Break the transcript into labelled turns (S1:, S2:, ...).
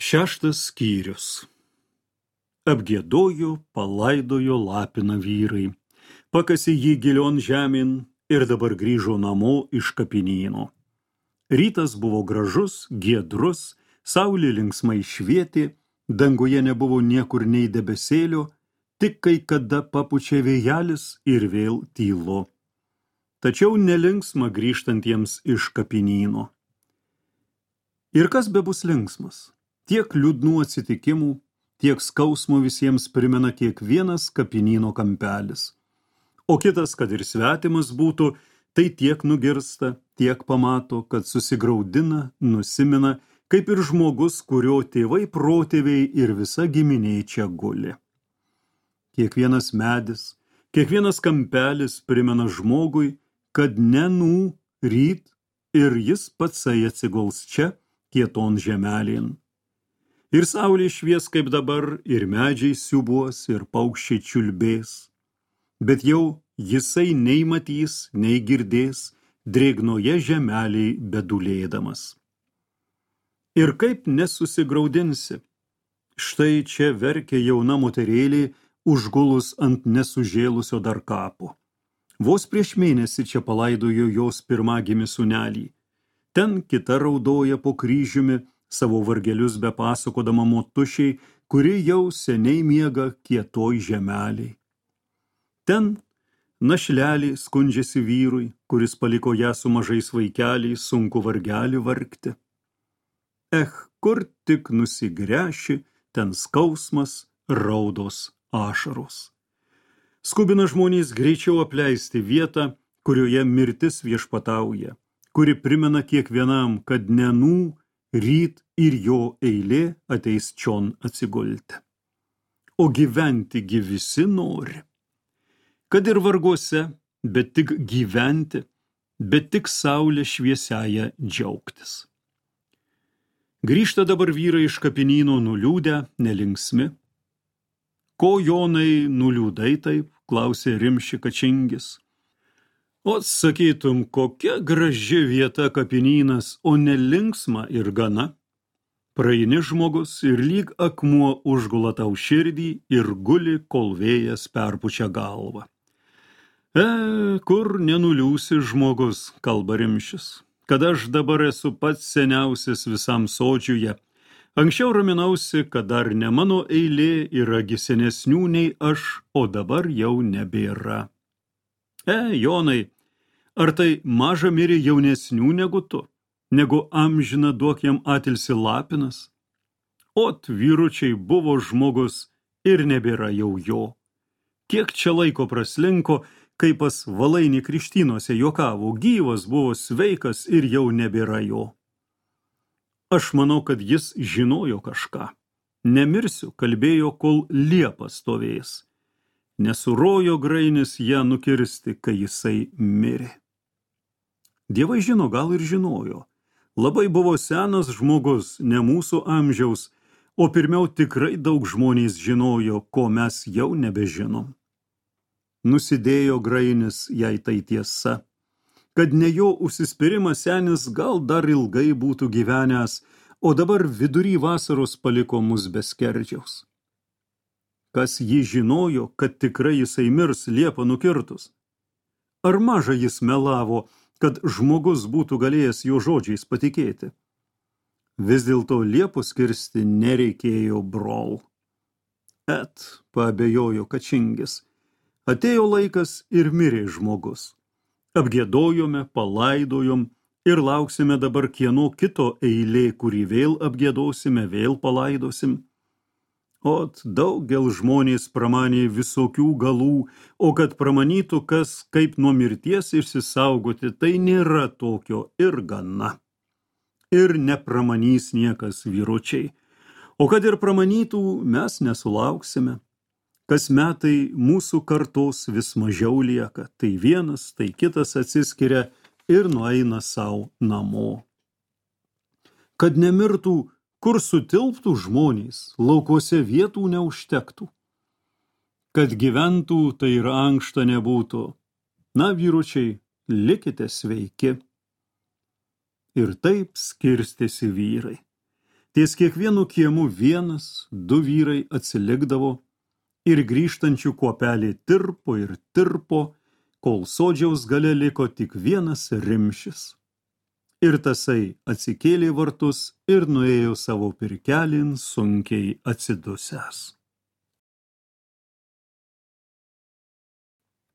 S1: Šeštas skyrius. Apgiedojo, palaidojo Lapiną vyrai, pakasė jį gilion žemėn ir dabar grįžo namo iš kapinyno. Rytas buvo gražus, giedrus, saulė linksmai švietė, danguje nebuvo niekur nei debesėlio, tik kai kada papučia vėjelis ir vėl tylo. Tačiau nelinksma grįžtantiems iš kapinyno. Ir kas bebus linksmas? Tiek liūdnų atsitikimų, tiek skausmo visiems primena kiekvienas kapinyno kampelis. O kitas, kad ir svetimas būtų, tai tiek nugirsta, tiek pamato, kad susigraudina, nusimena, kaip ir žmogus, kurio tėvai, protėviai ir visa giminė čia guli. Kiekvienas medis, kiekvienas kampelis primena žmogui, kad nenų ryt ir jis patsai atsiguls čia, kieton žemelėn. Ir saulė švies kaip dabar, ir medžiai siubuos, ir paukščiai čiulbės. Bet jau jisai nei matys, nei girdės, drėgnoje žemeliai bedulėdamas. Ir kaip nesusigraudinsi? Štai čia verkia jauna moterėlė, užgulus ant nesužėlusio dar kapo. Vos prieš mėnesį čia palaidojo jos pirmagimį sūnelį. Ten kita raudoja po kryžiumi, savo vargelius bepasakodama motušiai, kuri jau seniai miega kietoj žemeliai. Ten našlelį skundžiasi vyrui, kuris paliko ją su mažais vaikeliais, sunku vargelį vargti. Kur tik nusigręši, ten skausmas, raudos, ašaros. Skubina žmonės greičiau apleisti vietą, kurioje mirtis viešpatauja, kuri primena kiekvienam, kad nenų, ryt ir jo eilė ateis čion atsigulti. O gyventi gi visi nori. Kad ir varguose, bet tik gyventi, bet tik saulė šviesiaja džiaugtis. Grįžta dabar vyrai iš kapinyno nuliūdę, nelinksmi. Ko, Jonai, nuliūdai taip, klausė Rimši Kačingis. O sakytum, kokia graži vieta kapinynas, o nelinksma ir gana. Praeini žmogus ir lyg akmuo užgula tau širdį ir guli, kol vėjas perpučia galvą. Kur nenuliūsi žmogus, kalba Rimšis, kad aš dabar esu pats seniausias visam sodžiuje. Anksčiau raminausi, kad dar ne mano eilė yra gi senesnių nei aš, o dabar jau nebėra. Jonai, ar tai maža mirė jaunesnių negu tu, negu amžina duok jam atilsi Lapinas? Ot, vyručiai buvo žmogus ir nebėra jau jo. Kiek čia laiko praslinko, kai pas Valainį Krikštynuose juokavo, gyvas buvo sveikas ir jau nebėra jo. Aš manau, kad jis žinojo kažką. Nemirsiu, kalbėjo, kol liepa stovės. Nesurojo grainis ją nukirsti, kai jisai mirė. Dievai žino, gal ir žinojo. Labai buvo senas žmogus, ne mūsų amžiaus, o pirmiau tikrai daug žmonės žinojo, ko mes jau nebežinom. Nusidėjo grainis, jei tai tiesa, kad ne jo užsispyrimas senis gal dar ilgai būtų gyvenęs, o dabar vidury vasaros paliko mus be skerdžiaus. Kas jį žinojo, kad tikrai jisai mirs liepą nukirtus? Ar maža jis melavo, kad žmogus būtų galėjęs jo žodžiais patikėti? Vis dėlto liepos kirsti nereikėjo, brol. Paabejojo Kačingis. Atėjo laikas ir mirė žmogus. Apgiedojome, palaidojom ir lauksime dabar kieno kito eilė, kurį vėl apgiedosime, vėl palaidosim. Ot, daugel žmonės pramanė visokių galų, o kad pramanytų kas, kaip nuo mirties išsisaugoti, tai nėra tokio ir gana. Ir nepramanys niekas, vyručiai. O kad ir pramanytų, mes nesulauksime. Kas metai mūsų kartos vis mažiau lieka, tai vienas, tai kitas atsiskiria ir nueina savo namo. Kad nemirtų, kur sutilptų žmonės, laukuose vietų neužtektų. Kad gyventų, tai ir ankšta nebūtų. Na, vyručiai, likite sveiki. Ir taip skirstėsi vyrai. Ties kiekvienu kiemu vienas, du vyrai atsilikdavo ir grįžtančių kuopelė tirpo ir tirpo, kol sodžiaus gale liko tik vienas rimšis. Ir tasai atsikėlė vartus ir nuėjo savo pirkelin sunkiai atsidusęs.